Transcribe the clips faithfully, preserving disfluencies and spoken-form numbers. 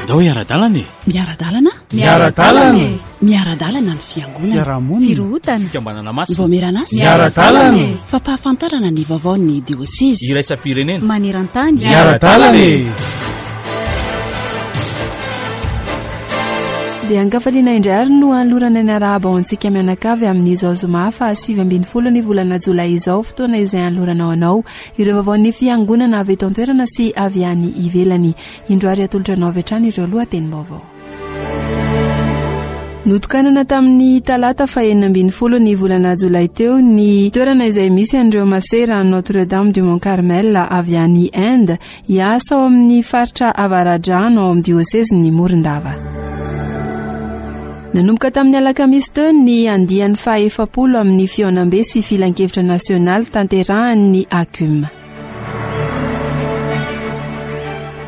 Andao hiara-dalana e! Miara-dalana? Miara-dalana e! Miara-dalana ny fiangonana. Fiarahamonina. Firohotana. Fikambanana masina. Vaomieran'asa. Miara-dalana e! Fampahafantarana ny vaovaon'ny diosezy. Iraisam-pirenena. Maneran-tany. Miara-dalana e! Dia ankafaliana indray ary no anolorana ny arahaba ho antsika mianakavy amin'izao zoma faha sivy ambin'ny folo ny volana jolay izao, fotoana izay anoloranao anao ireo vaovaon'ny fiangonana avy eto an-toerana sy avy any ivelany. Indro ary atolotra anao avy hatrany ireo lohatenim-baovao. Notokanana tamin'ny talata fahenina ambin'ny folo ny volana jolay teo ny toerana izay misy an'ireo masera Notre Dame du Mont Carmel avy any Inde hiasa ao amin'ny faritra Avaradrano ao amin'ny diosezin'ny Morondava. Nanomboka tamin'ny alakamisy teo ny andiany fahaefapolo amin'ny fihaonambe sy filankevitra nasionaly tanterahan'ny A C U M.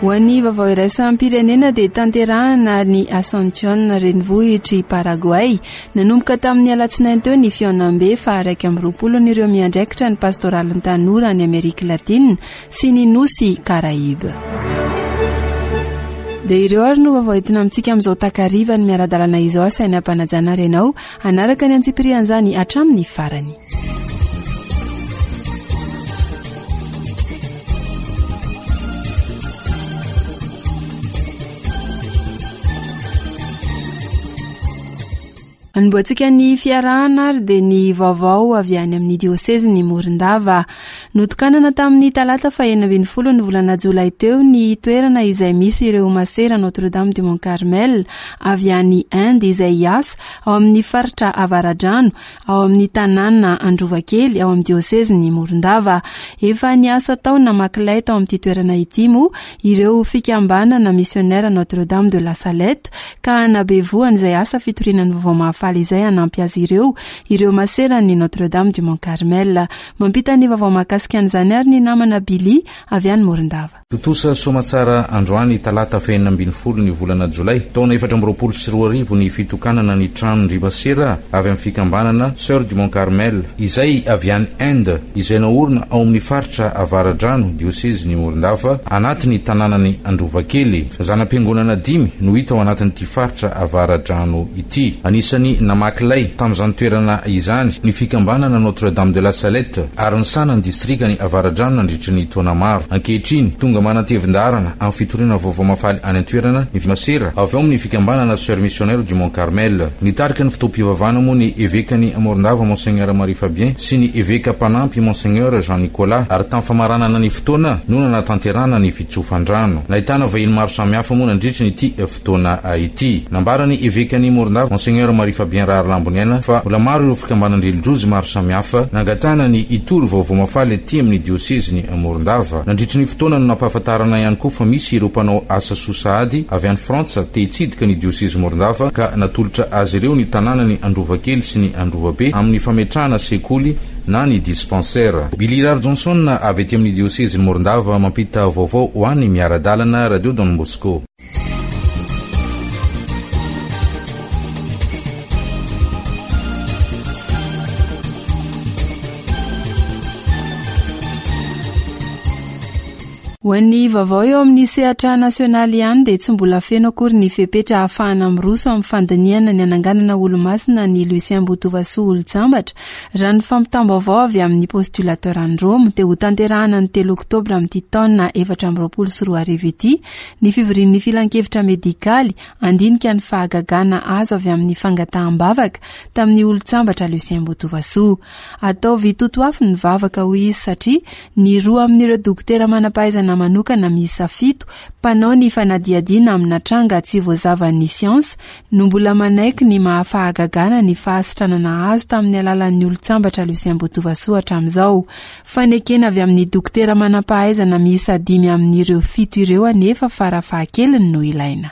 Ho an'ny vaovao iraisam-pirenena dia tanterahana ny Asuncion renivohitr'i Paraguay. Nanomboka tamin'ny alatsinainy teo ny fihaonambe faha-iraika amby roapolo ireo miandraikitra ny pastoralin'ny tanora any Amerika Latina sy ny nosy Karaiba. Dia ireo ary no vaovao entina amintsika amin'izao takariva ny miara-dalana izao, asaina ampanajana ary ianao hanaraka ny antsipirian'izany hatramin'ny farany. Anombohantsika ny fiarahana ary dia ny vaovao avy any amin'ny diosezy ny Morondava. Notokanana tamin'ny talata fahenina ambin'ny folo ny volana jolay teo ny toerana izay misy ireo masera Notre Dame du Mont Carmel avy any Inde izay hiasa ao amin'ny faritra Avaradrano ao amin'ny tanàna Androvakely ao amin'ny diosezy ny Morondava. Efa niasa tao namaky tao amin'ity toerana ity moa ireo fikambanana missionnaire Notre Dame de la Salette ka nabevoany izay asa fitoriana ny vaovao mahafaly izay hanampy azy ireo ireo maserany Notre Dame du Mont Carmel. Mampita ny vaovao mahakasika an'izany ary ny namana Billy avy any Morondava. Tontosa soamantsara androany talata fahenina ambin'ny folo ny volana jolay taona efatra amby roapolo sy roa arivo ny fitokanana ny tranon-dry masera avy amin'ny fikambanana Sœur du Mont Carmel izay avy any Inde izay naorina ao amin'ny faritra Avaradrano, diosezy ny Morondava, anatin'ny tanànany Androvakely. Zanam-piangonana dimy no hita ao anatin'ity faritra Avaradrano ity. Anisan'ny namaky lay tamin'izany toerana izany ny fikambanana Notre Dame de la Salette ary nisahana ny distrika ny Avaradrano nandritra ny taona maro. Ankehitriny tonga manatevin-daharana amin'ny fitoriana vaovao mahafaly any an-toerana ny masera avy ao amin'ny fikambanana Sœur Missionnaire du Mont Carmel. Nitarika ny fotoam-pivavahana moa ny evekany Morondava, Monseigneur Marie Fabien, sy ny eveka mpanampy, Monseigneur Jean Nicolas, ary tamin'ny famaranana ny fotoana no nanatanterahana ny fitsofan-drano. Nahitana vahiny maro samihafa moa nandritra ny ity fotoana ity. Nambarany evekany Morondava, Monseigneur Marie Fabien Raharlamboniaina, fa mbola maro ireo fikambanan-drelijiozy maro samihafa nangatahana ny hitory vaovao mahafaly aty amin'ny diosezy ny Morondava. Nandritra ny fotoana no nampahafantarana ihany koa fa misy ireo mpanao asa soa sahady avy any Frantsa te hitsidika ny diosezy Morondava ka natolotra azy ireo ny tanànany Androvakely sy ny Androvabe amin'ny fametrahana sekoly na ny dispensaire. Billy Rar Johnson avy aty amin'ny diosezy ny Morondava mampita vaovao ho any miara-dalana Radio Don Bosco. Ho an'ny vaovao eo amin'ny sehatra nasionaly ihany dia tsy mbola feno akory ny fepetra ahafahana miroso amin'ny fandinihana ny ananganana olomasina ny Lucien Botovasoa olon-tsambatra. Raha ny fampitam-baovao avy amin'ny postulateur any Roma dia ho tanterahana ny telo oktobra amin'ity taona efatra amby roapolo sy roa arivo ity ny fivorian'ny filankevitra medikaly andinika ny fahagagana azo avy amin'ny fangataham-bavaka tamin'ny olon-tsambatra Lucien Botovasoa. Ataovy totoafo ny vavaka, hoy izy, satria ny roa amin'ireo dokotera manam-pahaizana manokana miisa fito mpanao ny fanadihadiana amina tranga tsy voazavan'ny siansa no mbola manaiky ny mahafahagagana ny fahasitranana azo tamin'ny alalan'ny olon-tsambatra Lucien Botovasoa hatramin'izao. Fanekena avy amin'ny dokotera manam-pahaizana miisa dimy amin'ireo fito ireo anefa farafahakeliny no ilaina.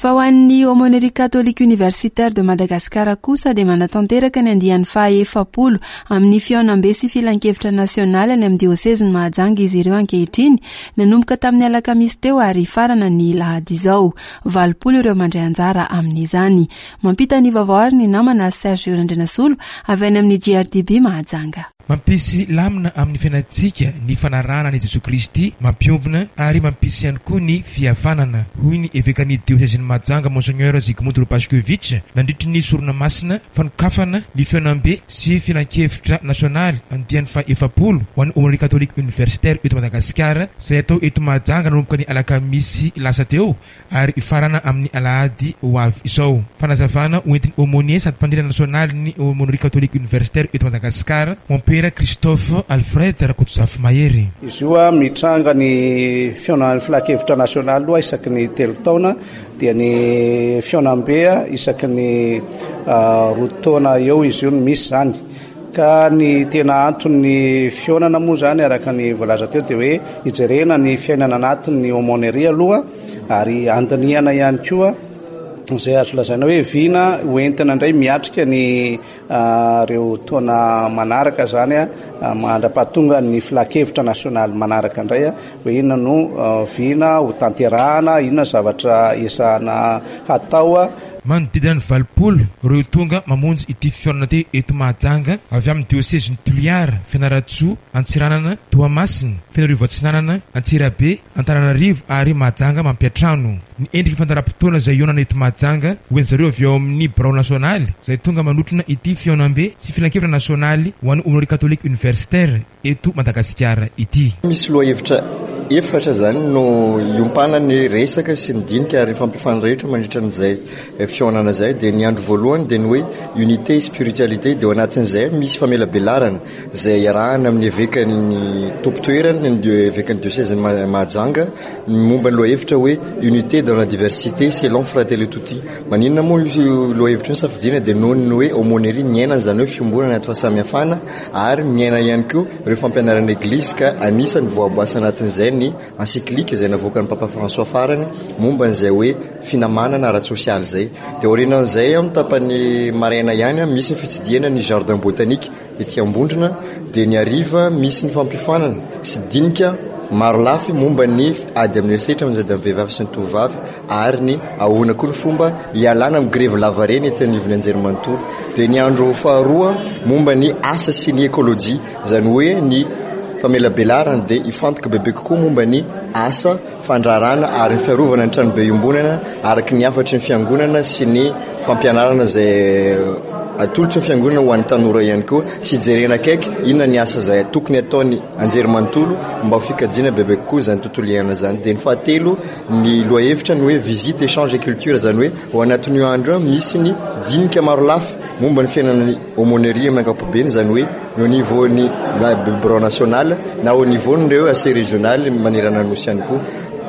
Fa ho an'ny Aumônerie Catholique Universitaire de Madagascar kosa dia manatanteraka ny andiany faha-efapolo amin'ny fihaonambe sy filankevitra nasionaly any amin'ny diosezin'i Mahajanga izy ireo ankehitriny, nanomboka tamin'ny alakamisy teo ary farana ny lahady izao. Valopolo ireo mandray anjara amin'izany. Mampita ny vaovao ary ny namana Serge Randrianasolo avy any amin'ny G R D B Mahajanga. Mampisy lamina amin'ny fiainantsika ny fanarahana an'i Jesoa Kristy, mampiombona ary mampisy ihany koa ny fihavanana, hoy ny evekan'ny diosezin'i Mahajanga Monseigneur Zygmunt Lopashkevich nandritry ny sorona masina fanokafana ny fihaonambe sy filankevitra nasionaly andiany faha-efapolo ho an'ny Aumônerie Catholique Universitaire eto Madagasikara, izay atao eto Mahajanga nanomboka ny alakamisy lasa teo ary hifarana amin'ny alahady ho avy izao. Fanazavana hoentin'ny aumônier sady mpandrindra nasionaly ny Aumônerie Catholique Universitaire eto Madagasikara, Mompera Christophe Alfred Rakotozafy Mahery. Izy io a mitranga ny fihaonan'ny filankevitra nasionaly aloha isaky ny telo taona, dia ny fihaonambe isaky ny roa taona eo izy io no misy zany. Ka ny tena anton'ny fihaonana moa zany araka ny voalaza teo dia hoe hijerena ny fiainana anatin'ny aumônerie aloha ary andinihana ihany koa izay azo lazaina hoe vina hoentina indray miatrika ny ireo taona manaraka zany a, mandra-pahatonga ny filankevitra nasionaly manaraka indray a, hoe inona no vina ho tanterahana, inona zavatra ezahana hatao a. Manodidina ny valopolo ireo tonga mamonjy ity fihaonana ity eto Mahajanga avy amin'ny diosezin'i Toliara, Fianarantsoa, Antsiranana, Toamasina, Fenoarivo Atsinanana, Antsirabe, Antananarivo ary Mahajanga mampiantrano. Ny endriky fandaharam-potoana izay hihaonana eto Mahajanga ho an'ny zareo avy ao amin'ny birao nasionaly izay tonga manotrona ity fihaonambe sy filankevitra nasionaly ho an'ny Aumônerie Catholique Universitaire eto Madagasikara ity. Misy lohahevitra efatra zany no iompana ny resaka sy ny dinika ary fampiofana rehetra mandritra an'izay fihaonana izay. Dia ny andro voalohany dia ny hoe unité spiritualité, dia ao anatin'izay misy famelabelarana izay iarahana amin'ny evekan'ny tompon-toerana, ny evekan'ny diosezin'i Mahajanga, momba ny lohahevitra hoe unité dans la diversité selon Fratelli Tutti. Maninona moa io lohahevitra io safidiana? Dia noho ny hoe aumônerie miaina an'izany hoe fiombonana anaty fahasamihafana ary miaina ihany koa ireo fampianaran'ny Eglizy, ka anisan'ny voaboasa anatin'izay ny encyclique izay navoakan'ny Papa François farany momba an'izay hoe finamanana ara-tsosialy izay. Dia aorianan'izay amin'ny tapany maraina ihany misy ny fitsidihana ny jardin botanique ety Ambondrona, dia ny hariva misy ny fampiofanana sy dinika maro lafy momba ny ady amin'ny herisetra amin'ny ady amin'ny vehivavy sy ny tovovavy ary ny ahoana koa ny fomba hialana amin'ny grevy lavareny ety anivon'ny anjerimanontolo. Dia ny andro faharoa momba ny asa sy ny ekolojia, izany hoe ny famelabelarana dia hifantoka bebe kokoa momba ny asa fandraharana ary ny fiarovana ny tranobe iombonana araka ny hafatry ny fiangonana sy ny fampianarana izay atolotry ny fiangonana ho an'ny tanora ihany koa, sy jerena akaiky inona ny asa izay tokony ataony anjerimanontolo mba ho fikajiana bebe kokoa izany tontolo iainana izany. Dia ny fahatelo ny lohahevitra ny hoe visite échange et culture, izany hoe ao anatin'io andro io misy ny dinika maro lafy momba ny fiainan'ny aumônerie amin'ny ankapobeny, izany hoe au niveau ny bureau national na au niveau n'ireo A C régional manerana ny nosy ihany koa.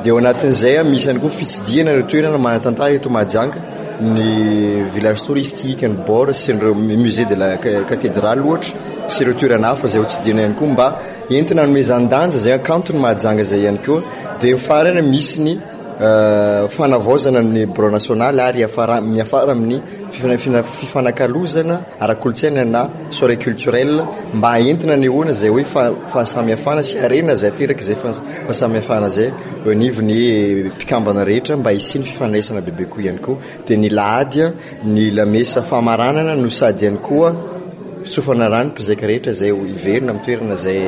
Dia ao anatin'izay misy ihany koa fitsidihana ireo toerana manan-tantara eto Mahajanga, ny village touristique, ny bord sy ireo musée de la cathédrale ohatra sy ireo toerana hafa izay hotsidihana ihany koa mba entina hanomezan-danja izay hakanton'ny Mahajanga izay ihany koa. Dia ny farany misy ny fanavaozana ny bureau national ary miafara, miafara amin'ny fifana-, fifanakalozana ara-kolontsaina na soirée culturelle mba entina hanehoana izay hoe fa-, fahasamihafana sy harena izay ateraka izay fa-, fahasamihafana izay eo anivon'ny mpikambana rehetra mba hisian'ny fifandraisana bebe kokoa ihany koa. Dia ny lahady ny lamesa famaranana no sady ihany koa fitsofana rano mpizaika rehetra izay ho hiverina amin'ny toerana izay,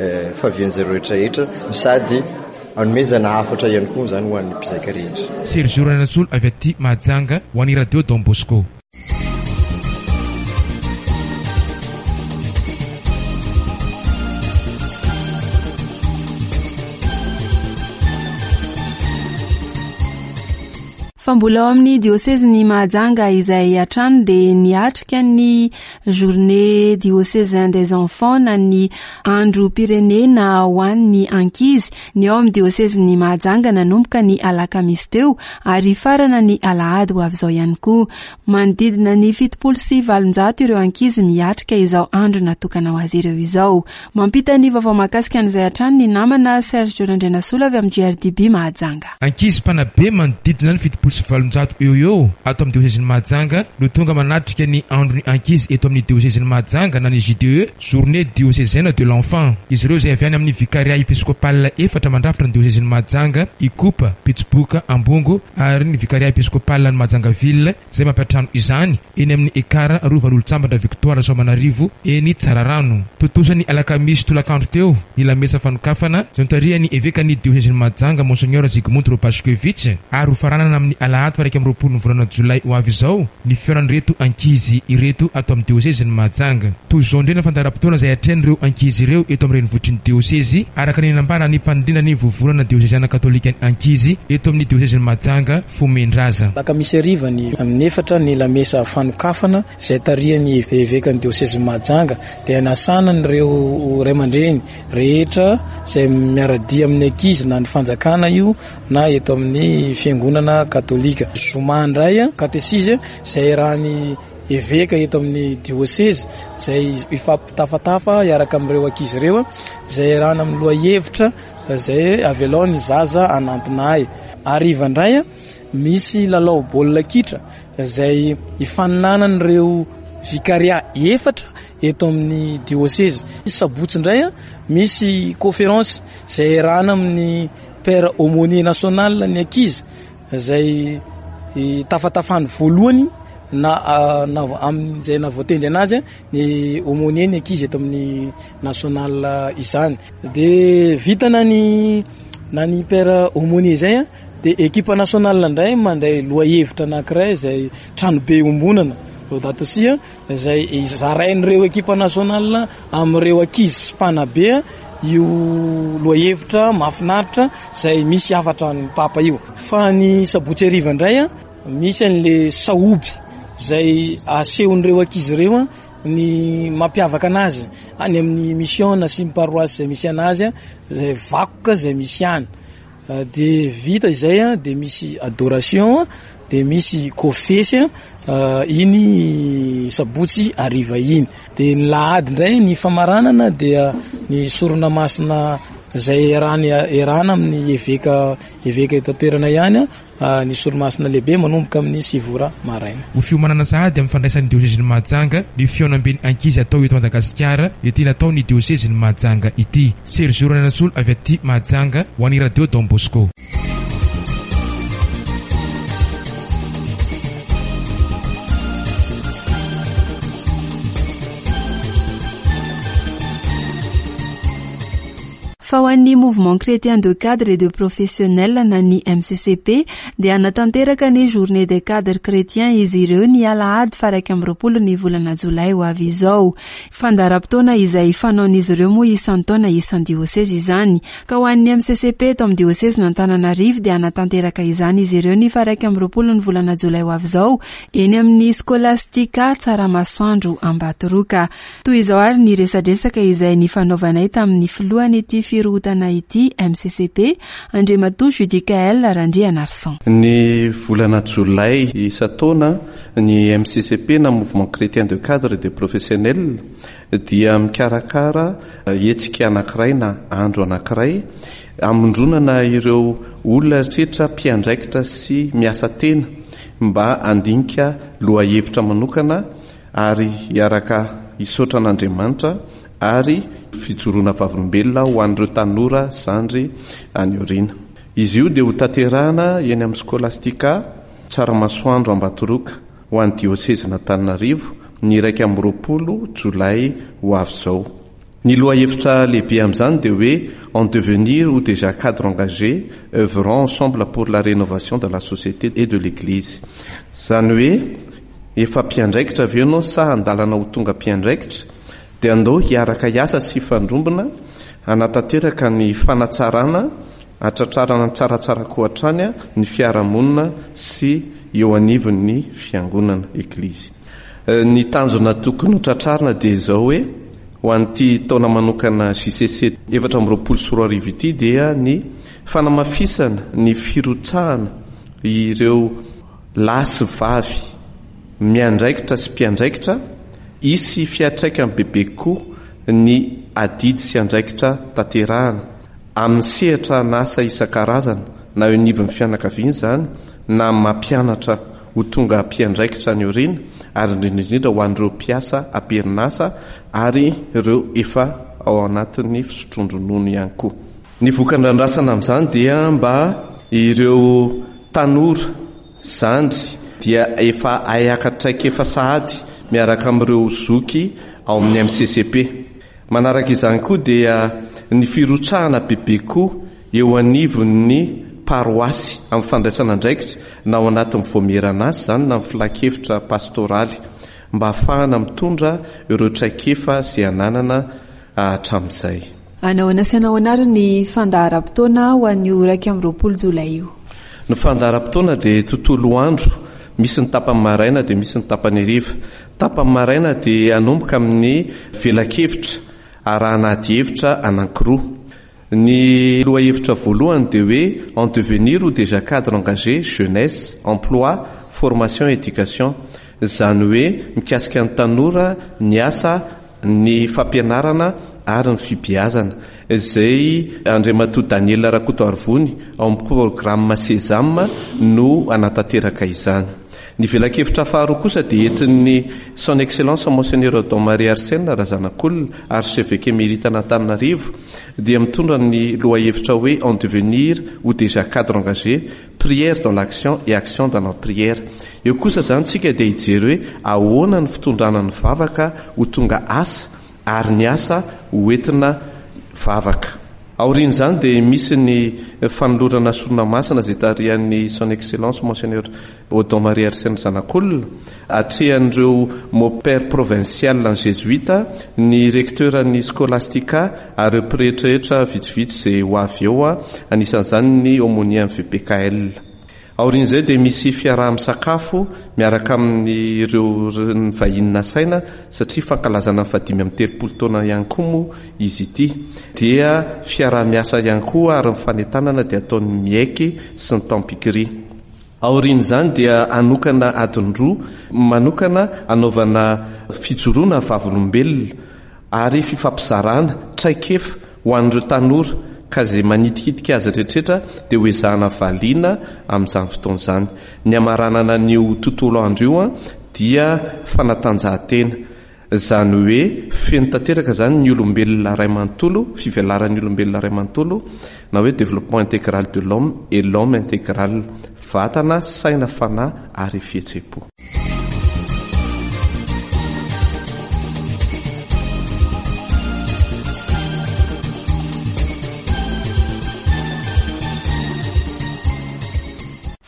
eh, fahavian'izay rehetra rehetra no sady hanomezana hafatra ihany koa izany ho an'ny mpizaika rehetra. Sergio Ranatsolo avy aty Mahajanga ho an'ny Radio Don Bosco. Fa mbola ao amin'ny diosezin'i Mahajanga izay hatrany dia niatrika ny journée diocésaine des enfants na ny androm-pirenena ho an'ny ankizy ny ao amin'ny diosezin'i Mahajanga nanomboka ny alakamisy teo ary farana ny alahady ho avy izao ihany koa. Manodidina ny fitopolo sy valonjato ireo ankizy miatrika izao andro natokana ho azy ireo izao. Mampita ny vaovao mahakasika an'izay hatrany ny namana Serge Randrianasola avy amin'ny G R D B Mahajanga. Ankizy mpanabe manodidina ny fitopolo sy valonjato eo eo ato amin'ny diosezin'i Mahajanga no tonga manatrika ny andron'ny ankizy eto amin'ny diosezin'i Mahajanga na ny J D E, journée diocésaine de l'enfant. Izy ireo izay avy any amin'ny vicariat épiscopal efatra mandrafitra ny diosezin'i Mahajanga: Ikopa, Betsiboka, Ambongo ary ny vicariat épiscopal ny Mahajanga ville izay mampiantrano izany eny amin'ny Ekar Rovan'Olontsambatra Victoire Soamanarivo eny Tsararano. Tontosa ny alakamisy tolakandro teo ny lamesa fanokafana izay notarihan'ny evekan'ny diosezin'i Mahajanga, Monseigneur Zygmunt Robaszkiewicz, ary ho faranana amin'ny alahady faha iraika amby roapolo ny volana jolay ho avy izao ny fihaonan'ireto ankizy ireto ato amin'ny diosezin'i Mahajanga. Toy izao indray ny fandaharam-potoana izay atrehan'ireo ankizy ireo eto amin'ny renivohitry ny diosezy, araka ny nambaran'ny mpandrindra ny vovonana dioseziana katolika ny ankizy eto amin'ny diosezin'i Mahajanga, Fomendraza. Alakamisy hariva ny amin'ny efatra ny lamesa fanokafana izay tarihan'ny evekan'ny diosezin'i Mahajanga, dia nasana ireo ray aman-dreny rehetra izay miara-dia amin'ny ankizy, na ny fanjakana io na eto amin'ny fiangonana katolika. Zoma indray katesizy izay raha ny eveka eto amin'ny diosezy izay ifampitafatafa iaraka amin'ireo ankizy ireo, izay arahana amin'ny lohahevitra izay "Avelao ny zaza hanantona ahy". Hariva indray misy lalao baolina kitra izay ifaninanan'ireo vikaria efatra eto amin'ny diosezy. Sabotsy indray misy conférence izay arahana amin'ny père aumônier national ny ankizy, izay tafatafany voalohany na na amin'izay nahavoatendry anazy ny aumônier ny ankizy eto amin'ny national izany. De vitana ny na ny père aumônier zay a, de équipe nationale indray mandray lohahevitra anankiray izay "Tranobe iombonana", Laudato Si, izay zarain'ireo équipe nationale amin'ireo ankizy sy mpanabe io lohahevitra mahafinaritra izay misy hafatra ny papa io. Fa ny sabotsy hariva indray a misy an'le sahoby izay asehon'ireo ankizy ireo a ny mampiavaka anazy any amin'ny mission sy ny paroisse izay misy anazy a, zay vakoka izay misy any. De vita izay a, de misy adoration, de misy kofesy a iny sabotsy hariva iny. De ny lahady indray ny famaranana, dia ny sorona masina izay erany erana amin'ny eveka eveka eto an-toerana ihany a, ny sorona masina lehibe manomboka amin'ny sivy ora maraina. Ho fiomanana sahady amin'ny fandraisan'ny diosezin'i Mahajanga ny fihaonamben'ny ankizy atao eto Madagasikara ety natao ny diosezin'i Mahajanga ity. Sergio Ranasolo avy aty Mahajanga ho an'ny Radio Don Bosco. Fa ho an'ny Mouvement chrétien de cadre et de professionnel na ny M C C P dia hanatanteraka ny journée des cadres chrétiens izy ireo ny alahady faha iraika amby roapolo ny volana jolay ho avy izao. Fandaharam-potoana izay fanaon'izy ireo moa isan-taona isan-diosezy izany, ka ho an'ny M C C P eto amin'ny diosezin'Antananarivo dia hanatanteraka izany izy ireo ny faha iraika amby roapolo ny volana jolay ho avy izao eny amin'ny Scholastica Tsaramasoandro Ambatoroka. Toy izao ary ny resadresaka izay ny fanaovanay tamin'ny filohany ity firohotana ity M C C P, Andriamatoa Judicael Randrianarsan. Ny volana jolay isan-taona, ny M C C P na Mouvement chrétien de cadre de professionnel dia mikarakara hetsika anankiray na andro anankiray amondronana ireo olona rehetra mpiandraikitra sy miasa tena mba handinika lohahevitra manokana ary hiaraka hisaotra an'Andriamanitra ary fijoroana vavolombelona ho an'ireo tanora zandry any aoriana. Izy io dia ho tanterahana eny amin'ny Scholastica Tsaramasoandro Ambatoroka ho an'ny diosezin'Antananarivo ny iraika amby roapolo jolay ho avy izao. Ny lohahevitra lehibe amin'izany dia hoe "En devenir ou déjà cadre engagé, œuvrons ensemble pour la rénovation de la société et de l'Église". Zany hoe efa mpiandraikitra avy eo anao sa andalana ho tonga mpiandraikitra, dia andao hiaraka hiasa sy hifandrombona hanatanteraka ny fanatsarana Hatratrarana tsaratsara koa hatrany ny fiarahamonina sy eo anivon'ny fiangonana, eglizy. Ny tanjona tokony ho tratrarina dia izao hoe ho an'ity taona manokana J C C efatra amby roapolo sy roa arivo ity dia ny fanamafisana ny firotsahana ireo lahy sy vavy miandraikitra sy mpiandraikitra, hisy fiantraikany bebe kokoa ny adidy sy andraikitra tanterahana amin'ny sehatra an'asa isan-karazana na eo anivon'ny fianakaviana izany na mampianatra ho tonga mpiandraikitra any aoriana, ary indrindra indrindra ho an'ireo mpiasa am-perinasa ary ireo efa ao anatin'ny fisotroan-dronono ihany koa. Ny vokan-drandrasana amin'izany dia mba ireo tanora zandry dia efa hayaka traikefa sahady miaraka amin'ireo zoky ao amin'ny M C C P. Manaraka izany koa dia ny firotsahana bebe koa eo anivon'ny paroasy amin'ny fandraisana andraikitra na ao anatin'ny voamierana azy izany na amin'ny filan-kevitra pastoraly mba ahafahana mitondra ireo traikefa izay ananana hatramin'izay. Anahoana sy anahoana ary ny fandaharam-potoana ho an'io iraika amby roapolo jolay io? Ny fandaharam-potoana dia tontolo andro, misy ny tapany maraina dia misy ny tapany hariva. Tapany maraina dia hanomboka amin'ny velakevitra arahana adihevitra anankiroa. Ny lohahevitra voalohany dia hoe en devenir ou déjà cadre engagé, jeunesse, emploi, formation, éducation. Izany hoe mikasika ny tanora, ny asa, ny fampianarana ary ny fibeazana. Izay Andriamatoa Daniel Rakotoarivony ao amin'ny programme Sésame no anatanteraka izany. Ny velakevitra faharoa kosa dia entin'ny Son Excellence Monseigneur Don Marie Arsène Razanakolona, archevêque émérite an'Antananarivo, dia mitondra ny lohahevitra hoe en devenir ou déjà cadre engagé, prière dans l'action et action dans la prière. Eo kosa izany tsika dia hijery hoe ahoana ny fitondrana ny vavaka ho tonga asa ary ny asa ho entina vavaka. Aorian'izany dia misy ny fanolorana sorona masina izay tarihan'ny Son Excellence Monseigneur Odon Marie Arsène Zanakolona, atrehan'ireo mopère provincial ny jésuite, ny recteur ny scolastica ary ireo pretrarehetra vitsivitsy izay ho avy eo, anisan'izany ny aumônier V P K L. Aorian'izay dia misy fiaraha-misakafo miaraka amin'ireo ny vahiny nasaina satria fankalazana ny fahadimy amby telopolo taona ihany koa moa izy ity. Dia fiaraha-miasa ihany koa ary ny fanentanana dia ataon'ny miaiky sy ny tampikiri. Aorian'izany dia hanokana adiny roa manokana hanaovana fijoroana vavolombelona ary fifampizarana traikefa ho an'ireo tanora ka izay manitikitika azy rehetrarehetra dia ho ezahana valiana amin'izany fotoana izany. Ny hamaranana an'io tontolo andro io dia fanatanjahantena. Izany hoe feno tanteraka izany ny olombelona iray manontolo, fivelaran'ny olombelona iray manontolo, na hoe développement intégral de l'homme et l'homme intégral, vatana, saina, fanahy ary fihetseham-po.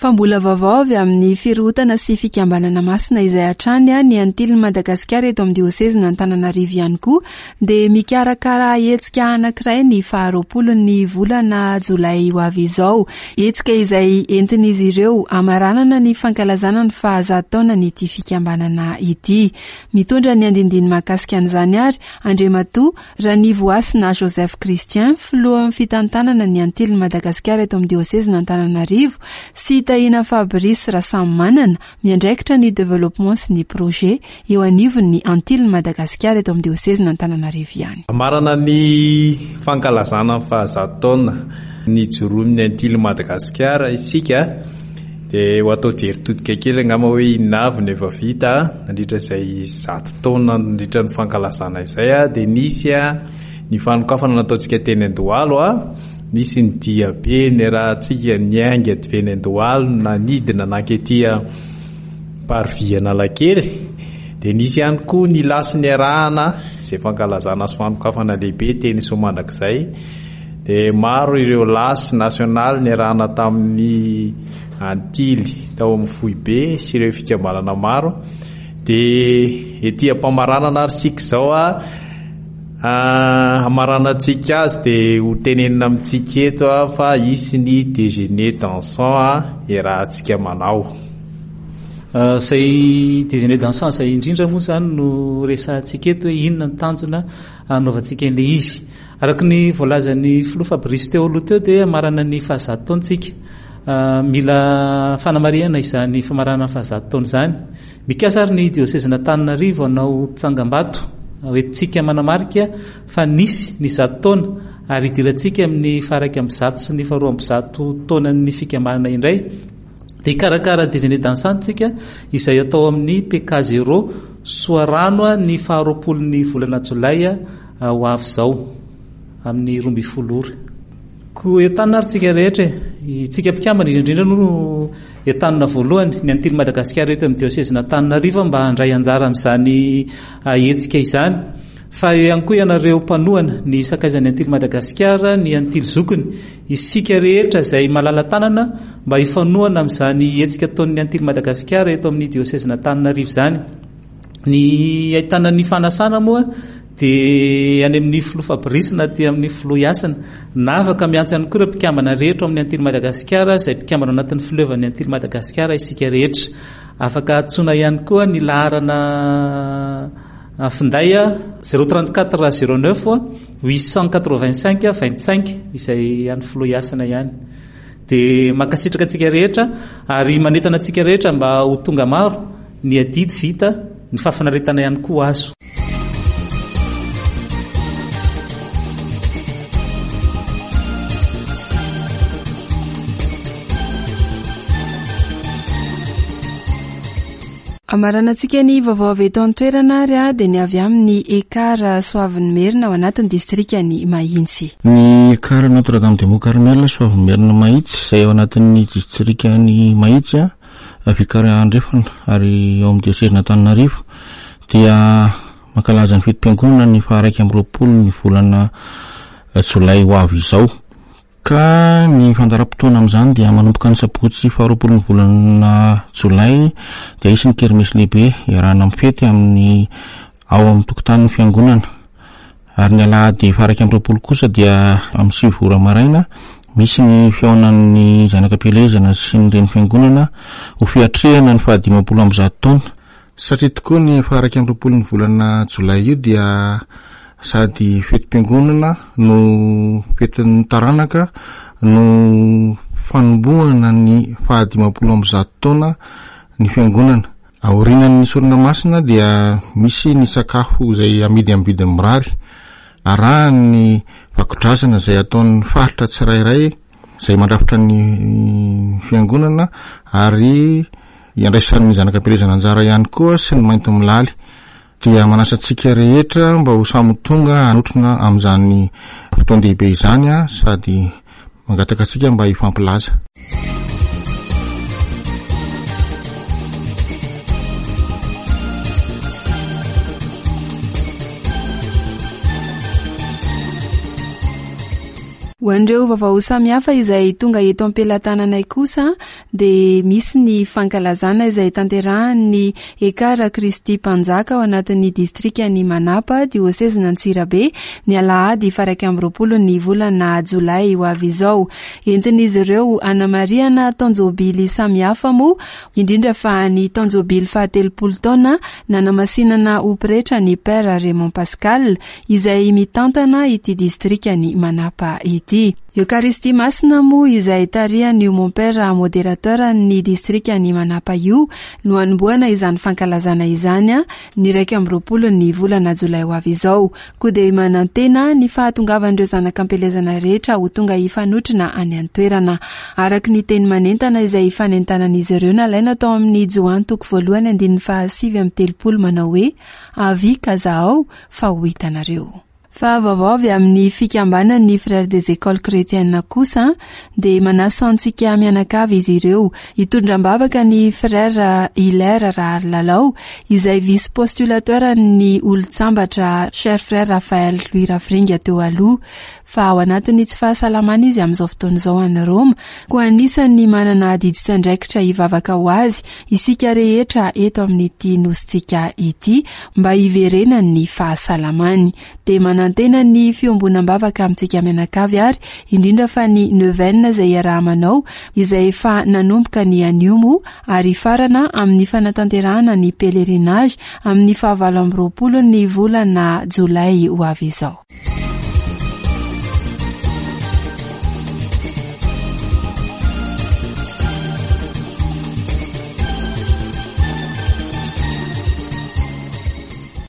Fa mbola vaovao avy amin'ny firohotana sy fikambanana masina izay hatrany ny Antilin'i Madagasikara eto amin'ny diôsezina Antananarivo ihany koa dia mikarakara hetsika anankiray ny faharoapolo ny volana jolay ho avy izao. Hetsika izay entin'izy ireo hamaranana ny fankalazana ny fahazato taona ny ity fikambanana ity. Mitondra ny andindiny mahakasika an'izany ary Andriamatoa Ranivoasina Joseph Christian, filohan'ny fitantanana ny Antilin'i Madagasikara eto amin'ny diôsezina Antananarivo, sy Tahina Fabrice Rasamimanana, miandraikitra ny développement sy ny projet eo anivon'ny Antilin'i Madagasikara eto amin'ny diôsezina Antananarivo ihany. Hamarana ny fankalazana ny fahazato taona ny joroan'ny Antilin'i Madagasikara isika, dia ho atao jery todika kely angamba hoe inona avy no efa vita nandritra izay zato taona nandritra ny fankalazana izay, dia nisy ny fanokafana nataontsika teny Andohalo, nisy ny diabe niarahantsika niainga avy eny Andohalo nanidina nankety Parvis Analakely, dia nisy ihany koa ny lasy niarahana izay fankalazana sy fanokafana lehibe teny Soamandrakizay, dia maro ireo lasy nasionaly niarahana tamin'ny Antily tao amin'ny foibe sy ireo fikambanana maro. Dia ety am-pamaranana ary isika izao a, Hamaranantsika azy dia ho tenenina amintsika eto a fa hisy ny déjeuner dansant a iarahantsika manao. Izay déjeuner dansant izay indrindra moa izany no resahantsika eto hoe inona ny tanjona hanaovantsika an'ilay izy. Araka ny voalazan'ny filoha Fabrice teo aloha teo dia hamarana ny fahazato taontsika. Mila fanamarihana izany famarana ny fahazato taona izany. Mikasa ary ny diosezin'Antananarivo hanao tsangambato hoentintsika manamarika fa nisy ny zato taona ary hidirantsika amin'ny faha-iraika amby zato sy ny faharoa amby zato taonan'ny fikambanana indray. Dia hikarakara déjeuner dansant tsika izay atao amin'ny P K zéro Soarano ny faharoapolon'ny volana jolay ho avy izao amin'ny roa ambin'ny folo ora. Koa entanina ary tsika rehetra e. Itsika mpikambana indrindra no entanina voalohany ny Antily Madagasikara eto amin'ny diosezin'Antananarivo mba handray anjara amin'izany hetsika izany. Fa eo ihany koa ianareo mpanohana ny sakaizan'ny Antily Madagasikara, ny Antily zokiny, isika rehetra izay malala-tanana mba hifanohana amin'izany hetsika ataon'ny Antily Madagasikara eto amin'ny diosezin'Antananarivo izany. Ny ahitana ny fanasana moa dia any amin'ny filoha Fabrice na aty amin'ny filoha Hasina. Na afaka miantso ihany koa ireo mpikambana rehetra ao amin'ny Antily Madagasikara izay mpikambana ao anatin'ny fileovan'ny Antily Madagasikara isika rehetra. Afaka antsoina ihany koa ny laharana finday zéro trente-quatre zéro neuf huit cent quatre-vingt-cinq vingt-cinq izay an'ny filoha Hasina ihany. Dia mankasitraka antsika rehetra ary manentana antsika rehetra mba ho tonga maro ny adidy vita, ny fahafinaretana ihany koa azo. Amaranantsika ny vaovao avy eto an-toerana ary a dia ny avy amin'ny Ekar Soavinimerina ao anatin'ny distrikan'i Mahitsy. Ny Ekar Notre Dame de Mont Carmel Soavinimerina Mahitsy izay ao anatin'ny distrikan'i Mahitsy a Vikary Andrefana ary ao amin'ny diosezin'Antananarivo dia mankalaza ny fetim-piangonana ny faha-iraika amby roapolo ny volana jolay ho avy izao. Ka ny fandaharam-potoana amin'izany dia manomboka ny sabotsy faharoapolo ny volana jolay dia hisy ny kermesy lehibe iarahana mifety amin'ny ao amin'ny tokotanin'ny fiangonana. Ary ny alahady faha-iraika amby roapolo kosa dia amin'ny sivy ora maraina misy ny fihaonan'ny zanakam-pielezana sy ny reny fiangonana ho fiatrehana ny fahadimampolo amby zato taona. Satria tokoa ny faha-iraika amby roapolo ny volana jolay io dia sady fetim-piangonana no fetin'ny taranaka no fanombohana ny fahadimampolo amby zato taona ny fiangonana. Aorian'ny sorona masina dia misy ny sakafo izay amidy amin'ny vidiny mirary, arahan'ny vakodrazana izay ataon'ny faritra tsirairay izay mandrafitra ny fiangonana ary iandraisan'ny zanakam-pielezana anjara ihany koa sy ny mainty milaly. Dia manasa antsika rehetra mba ho samy tonga hanotrona amin'izany fotoan-dehibe izany a, sady mangataka antsika mba hifampilaza. Ho an'ireo vaovao samihafa izay tonga eto am-pelatananay kosa dia misy ny fankalazana izay tanterahan'ny Ekar Kristy Mpanjaka ao anatin'ny distrikan'i Manapa, diosezin'Antsirabe, ny alahady faha-iraika amby roapolo ny volana jolay ho avy izao. Entin'izy ireo hanamarihana taon-jobily samihafa moa, indrindra fa ny taon-jobily fahatelopolo taona nanamasinana ho pretra ny Père Raymond Pascal izay mitantana ity distrikan'i Manapa ity. Eucharistie masina moa izay tarihan'io mon père modérateur ny distrikan'i Manapa io no hanombohana izany fankalazana izany a ny iraika amby roapolo ny volana jolay ho avy izao. Koa dia manantena ny fahatongavan'ireo zanak'ampielezana rehetra ho tonga hifanotrona any an-toerana. Araka ny teny manentana izay ifanentanan'izy ireo nalaina tao amin'ny Joany toko voalohany andininy fahasivy amby telopolo manao hoe avy ka zahao fa ho hitanareo. Fa vaovao avy amin'ny fikambanan'ny Frères des Écoles Chrétiennes kosa dia manasa antsika mianakavy izy ireo hitondra am-bavaka ny Frère Hilaire Raharilalao izay vice postulateur ny olon-tsambatra Cher Frère Raphaël Louis Rafiringa teo aloha. Fa ao anatin'ny tsy fahasalamana izy amin'izao fotoana izao any Roma, koa anisan'ny manana adidy sy andraikitra hivavaka ho azy isika rehetra eto amin'ity nosintsika ity mba hiverenan'ny fahasalamany. Dia manantena Manantena ny fiombonam-bavaka amintsika mianakavy ary indrindra fa ny neuvaine izay iaraha-manao, izay efa nanomboka ny anio moa ary farana amin'ny fanatanterahana ny pèlerinage amin'ny fahavalo amby roapolo ny volana jolay ho avy izao.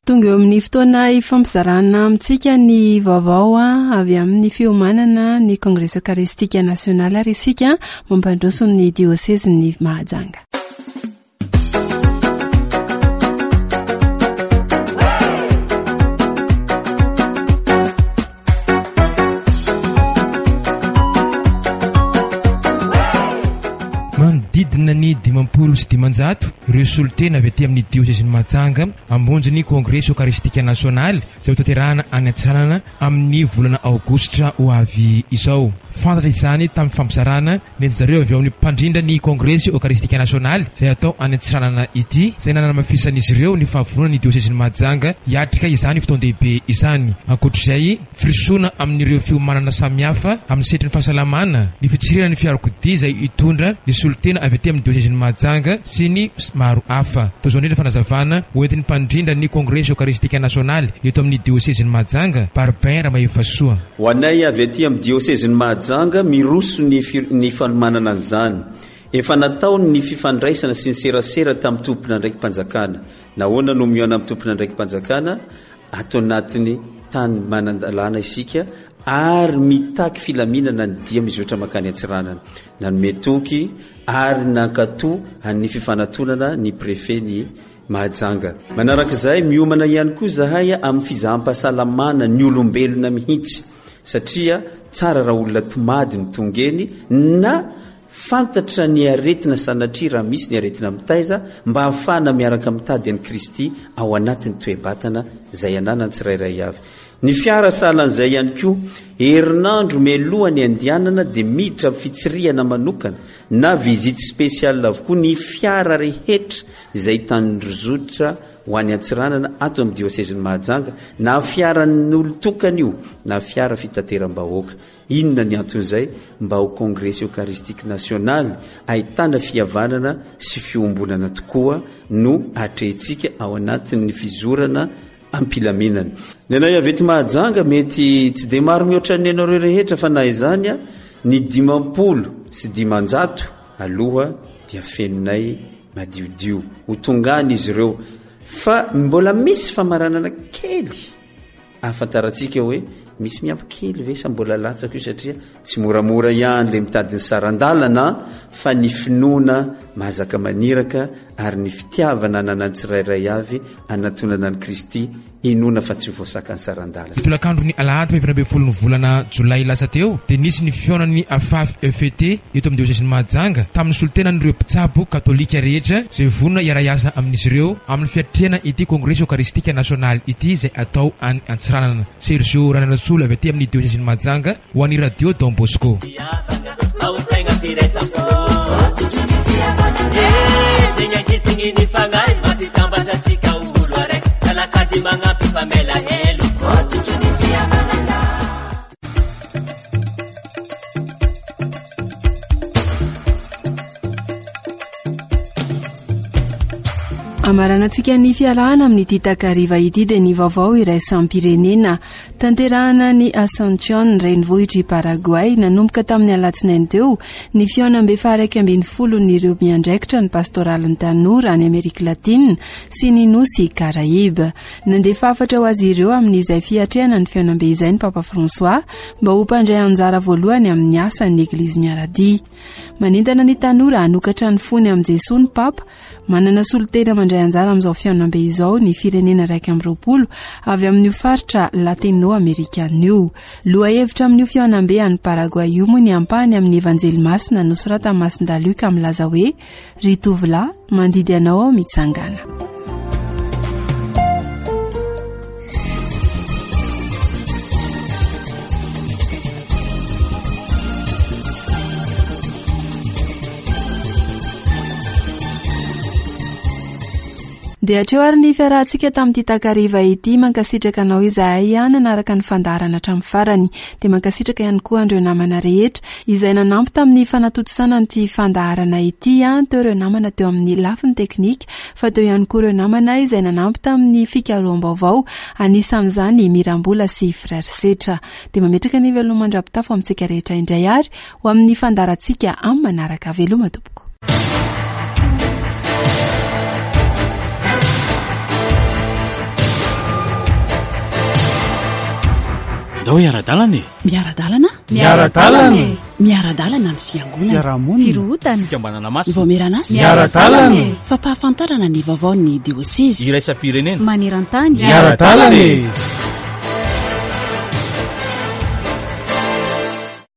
Tonga eo amin'ny fotoana ifampizarana amintsika ny vaovao avy amin'ny fiomanana ny Kongresy Eucharistique Nasionaly ary isika mampandroso ny diosezin'ny Mahajanga. Manodidina ny dimampolo sy dimanjato ireo solontena avy aty amin'ny diosezin'i Mahajanga hamonjy ny Kongresy Eucharistique Nasionaly izay hotanterahana any Antsiranana amin'ny volana aogositra ho avy izao. Fantatra izany tamin'ny fampizarana nentin zareo avy ao amin'ny mpandrindra ny Kongresy Eucharistique Nasionaly izay atao any Antsiranana ity, izay nanamafisan'izy ireo ny fahavononan'ny diosezin'i Mahajanga hiatrika izany fotoan-dehibe izany. Ankoatr'izay, firosoana amin'ireo fiomanana samihafa amin'ny sehatry ny fahasalamana, ny fitsirihana ny fiarakodia izay hitondra ny solontena avy aty amin'ny diosezin'i Mahajanga sy ny maro hafa. Toy izao indrindra fanazavana hoentin'ny mpandrindra ny Kongresy Eucharistique Nasionaly eto amin'ny diosezin'i Mahajanga, Barbin Ramahefasoa. Ho anay avy aty amin'ny diosezin'i Mahajanga, miroso ny fi-, ny fanomanana an'izany. Efa natao ny fifandraisana sy ny serasera tamin'ny tompon'andraiki-panjakana. Nahoana no mihaona amin'ny tompon'andraiki-panjakana? Ato anatin'ny tany manan-dalàna isika ary mitaky filaminana ny dia mizotra mankany Antsiranana. Nanome toky ary nankato an'ny fifanatonana ny préfet ny Mahajanga. Manarak'izay, miomana ihany koa zahay amin'ny fizaham-pahasalamana ny olombelona mihitsy, satria tsara raha olona tomady ny tonga eny na fantatra ny aretina sanatria raha misy ny aretina mitaiza, mba hahafahana miaraka mitady an'i Kristy ao anatin'ny toe-batana izay ananany tsirairay avy. Ny fiara sahalan'izay ihany koa, herinandro mialoha ny andianana dia miditra amin'ny fitsirihana manokana na visite spéciale avokoa ny fiara rehetra izay tandrozotra ho any Antsiranana ato amin'ny diosezin'i Mahajanga, na fiaran'olon-tokana io na fiara fitateram-bahoaka. Inona ny anton'izay? Mba ho Kongresy Eucharistique Nasionaly ahitana fihavanana sy fiombonana tokoa no atrehintsika ao anatin'ny fizorana ampilaminana. Ny anay avy eto Mahajanga mety tsy dia maro mihoatra ny anareo rehetra, fa na izany a, ny dimampolo sy dimanjato aloha dia fenonay madiodio. Ho tonga any izy ireo, fa mbola misy famaranana kely ahafantarantsika hoe misy miampy kely ve sa mbola latsaka io, satria tsy moramora ihany le mitady ny saran-dalana, fa ny finoana mahazaka maniraka ary ny fitiavana ananan'ny tsirairay avy anatonana an'i Kristy, inoana fa tsy voasaka ny saran-dalana. Ny tolakandro ny alahady faha efatra ambin'ny folo ny volana jolay lasa teo dia nisy ny fihaonan'ny A F A F E F T eto amin'ny diosezin'i Mahajanga tamin'ny solontenan'ireo mpitsabo katolika rehetra izay vonona hiara-hiasa amin'izy ireo amin'ny fiatrehana ity Kongresy Eucharistique Nasionaly ity izay atao any Antsiranana. Sergio Rananasolo avy aty amin'ny diosezin'i Mahajanga ho an'ny Radio Don Bosco. Amaranantsika ny fiarahana amin'ity takariva ity dia ny vaovao iraisam-pirenena. Tanterahana ny Asuncion, renivohitr'i Paraguay, nanomboka tamin'ny alatsinainy teo ny fihaonambe faha-iraika ambin'ny folon'ireo miandraikitra ny pastoralin'ny tanora any Amerika Latina sy ny nosy Karaiba. Nandefa hafatra ho azy ireo amin'izay fiatrehana ny fihaonambe izay ny Papa François mba ho mpandray anjara voalohany amin'ny asan'ny Eglizy miara-dia. Manentana ny tanora hanokatra ny fony amin'i Jesoa ny Papa. Manana solontena mandray anjara amin'izao fihaonambe izao ny firenena iraika amby roapolo avy amin'io faritra latino-amerikana io. Lohahevitra amin'io fihaonambe any Paraguay io moa ny ampahany amin'ny Evanjely Masina nosoratan'i Masindahy Luka milaza hoe: Ry tovolahy, mandidy anao aho mitsangana. Dia hatreo ary ny fiarahantsika tamin'ity takariva ity. Mankasitraka anao izahay nanaraka ny fandaharana hatramin'ny farany. Dia mankasitraka ihany koa an'ireo namana rehetra izay nanampy tamin'ny fanatontosana an'ity fandaharana ity. Teo ireo namana teo amin'ny lafiny teknika, fa teo ihany koa ireo namana izay nanampy tamin'ny fikaroham-baovao, anisan'izany Mirambola sy Frère Setra. Dia mametraka ny veloma mandra-pitafo amintsika rehetra indray ary ho amin'ny fandaharantsika amin'ny manaraka. Veloma tompoko. Ndao hiara-dalana e. Miara-dalana? Miara-dalana e. Miara-dalana ny fiangonana. Fiarahamonina. Firohotana. Fikambanana masina. Vaomieran'asa. Miara-dalana e. Fampahafantarana ny vaovaon'ny diosezy. Iraisam-pirenena. Maneran-tany. Miara-dalana e.